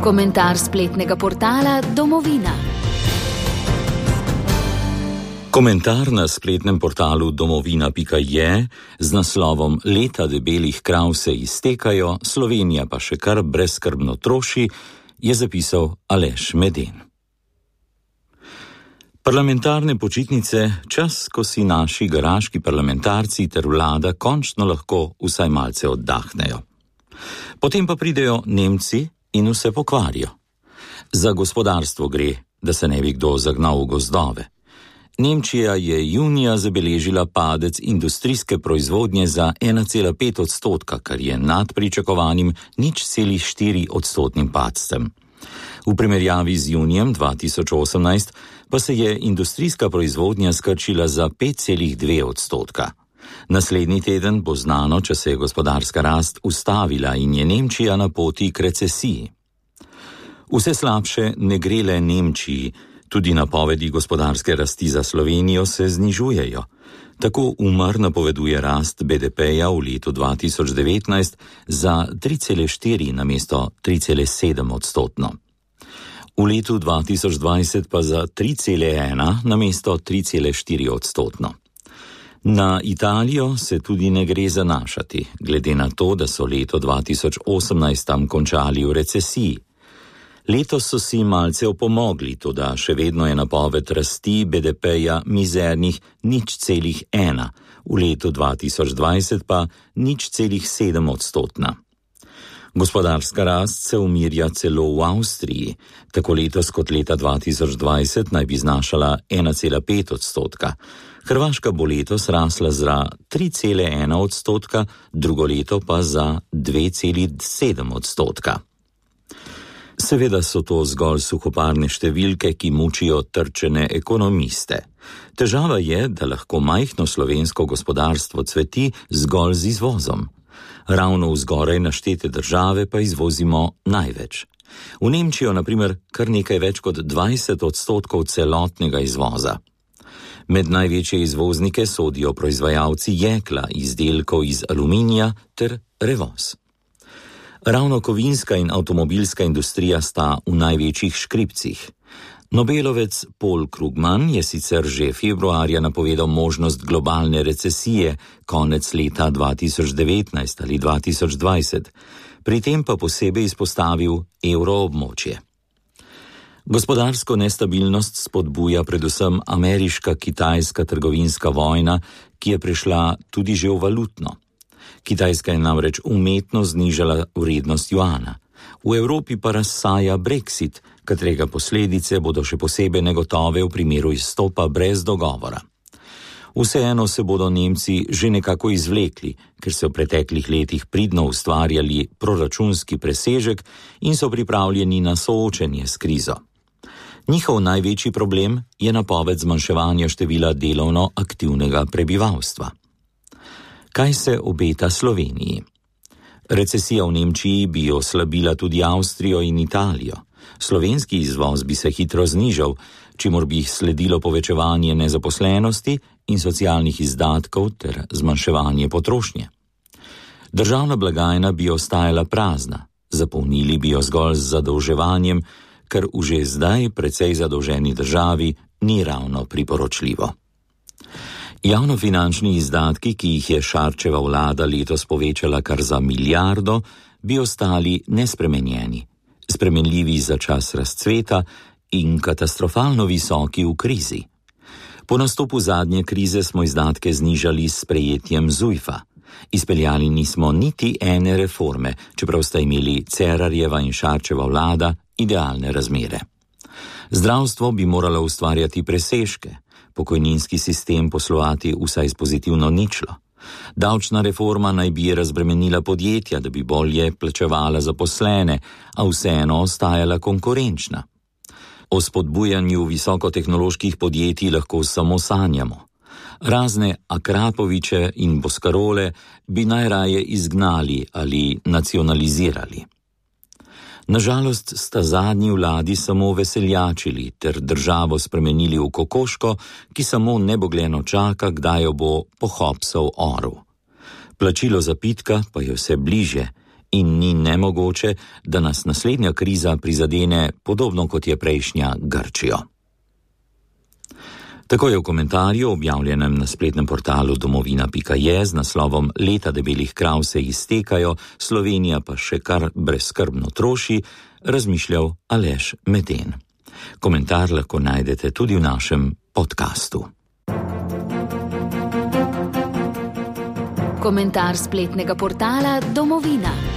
Komentar spletnega portala Domovina. Komentar na spletnem portalu domovina.je z naslovom Leta debelih krav se iztekajo, Slovenija pa še kar brezskrbno troši, je zapisal Aleš Meden. Parlamentarne počitnice, čas, ko si naši garaški parlamentarci ter vlada končno lahko vsaj malce oddahnejo. Potem pa pridejo Nemci in vse pokvarijo. Za gospodarstvo gre, da se ne bi kdo zagnal v gozdove. Nemčija je junija zabeležila padec industrijske proizvodnje za 1,5%, kar je nad pričakovanim 0,4% padcem. V primerjavi z junijem 2018 pa se je industrijska proizvodnja skrčila za 5,2%. Naslednji teden bo znano, če se je gospodarska rast ustavila in je Nemčija na poti k recesiji. Vse slabše ne gre le Nemčiji, tudi napovedi gospodarske rasti za Slovenijo se znižujejo. Tako Umar napoveduje rast BDP-ja v letu 2019 za 3,4 namesto 3,7%. V letu 2020 pa za 3,1 namesto 3,4%. Na Italijo se tudi ne gre zanašati, glede na to, da so leto 2018 tam končali v recesiji. Letos so si malce opomogli, toda še vedno je napoved rasti BDP-ja mizernih 0,1, v letu 2020 pa 0,7%. Gospodarska rast se umirja celo v Avstriji, tako letos kot leta 2020 naj bi znašala 1,5%. Hrvaška bo letos rasla za 3,1%, drugo leto pa za 2,7%. Seveda so to zgolj suhoparne številke, ki mučijo trčene ekonomiste. Težava je, da lahko majhno slovensko gospodarstvo cveti zgolj z izvozom. Ravno v zgoraj naštete države pa izvozimo največ. V Nemčijo, na primer, kar nekaj več kot 20% celotnega izvoza. Med največje izvoznike sodijo proizvajalci jekla, izdelkov iz aluminija ter Revoz. Ravno kovinska in avtomobilska industrija sta v največjih škripcih. Nobelovec Paul Krugman je sicer že februarja napovedal možnost globalne recesije konec leta 2019 ali 2020, pri tem pa posebej izpostavil evroobmočje. Gospodarsko nestabilnost spodbuja predvsem ameriška-kitajska trgovinska vojna, ki je prišla tudi že v valutno. Kitajska je namreč umetno znižala vrednost juana. V Evropi pa razsaja Brexit, katerega posledice bodo še posebej negotove v primeru izstopa brez dogovora. Vseeno se bodo Nemci že nekako izvlekli, ker so v preteklih letih pridno ustvarjali proračunski presežek in so pripravljeni na soočenje s krizo. Njihov največji problem je napoved zmanjševanja števila delovno aktivnega prebivalstva. Kaj se obeta Sloveniji? Recesija v Nemčiji bi oslabila tudi Avstrijo in Italijo. Slovenski izvoz bi se hitro znižal, čimur bi sledilo povečevanje nezaposlenosti in socialnih izdatkov ter zmanjševanje potrošnje. Državna blagajna bi ostajala prazna, zapolnili bi jo zgolj z zadolževanjem, kar v že zdaj precej zadolženi državi ni ravno priporočljivo. Javnofinančni izdatki, ki jih je Šarčeva vlada letos povečala kar za 1 milijardo, bi ostali nespremenjeni, spremenljivi za čas razcveta in katastrofalno visoki v krizi. Po nastopu zadnje krize smo izdatke znižali s sprejetjem ZUJF-a. Izpeljali nismo niti ene reforme, čeprav sta imeli Cerarjeva in Šarčeva vlada idealne razmere. Zdravstvo bi moralo ustvarjati presežke, pokojninski sistem poslovati vsaj s pozitivno ničlo. Davčna reforma naj bi razbremenila podjetja, da bi bolje plačevala zaposlene, a vseeno ostajala konkurenčna. O spodbujanju visokotehnoloških podjetij lahko samo sanjamo. Razne Akrapoviče in Boskarole bi najraje izgnali ali nacionalizirali. Nažalost sta zadnji vladi samo veseljačili ter državo spremenili v kokoško, ki samo nebogljeno čaka, kdaj jo bo pohopsal orel. Plačilo zapitka pa je vse bliže in ni nemogoče, da nas naslednja kriza prizadene podobno kot je prejšnja Grčijo. Tako je v komentarju, objavljenem na spletnem portalu domovina.je z naslovom Leta debelih krav se iztekajo, Slovenija pa še kar brezskrbno troši, razmišljal Aleš Meden. Komentar lahko najdete tudi v našem podkastu. Komentar spletnega portala Domovina.